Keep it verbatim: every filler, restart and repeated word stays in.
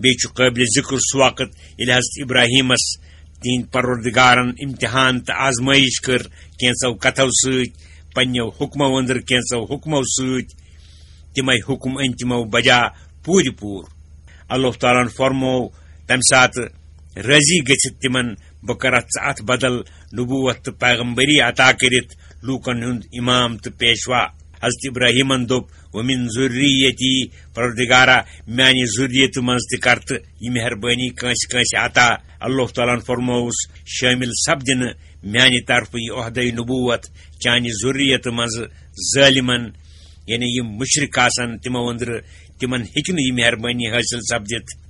بیٚیہِ چھُ قٲبلِ ذِکر سُہ وقت، ییٚلہِ حضرت ابراہیمس تِہنٛدۍ پروردگارن امتحان تہٕ آزمٲیش کٔر، کینٛژو کتھو سۭتۍ، پننیو حکمو أنٛدرٕ کینٛژو حکمو سۭتۍ۔ تِمے حکم أنۍ تِمو بجا پوٗرٕ پوٗرٕ۔ اللہ تعالیٰ ہن فرموو تمہِ ساتہٕ، راضی گٔژھِتھ تِمن، بہٕ کرتھ ژٕ اتھ بدل نبوت تہٕ پیغمبری عطا کٔرِتھ لوٗکن ہُنٛد امام تہٕ پیشوا۔ حضرت ابراہیمن دوٚپ، ومن ذریتی، پروردگارا، میانہِ ذریتہٕ منٛز تہِ کر تہٕ یہِ مہربٲنی کٲنٛسہِ کٲنٛسہِ عطا۔ اللہ تعالیٰ ہن فرمووُس، شٲمِل سپدِ نہٕ میانہِ طرفہٕ یہِ عہدے نبوت چانہِ ذریتہٕ منٛز ظٲلمن، یعنی یِم مشرک آسن تِمو أنٛدرٕ، تِمن ہیٚکہِ نہٕ یہِ مہربٲنی حٲصِل سپدِتھ۔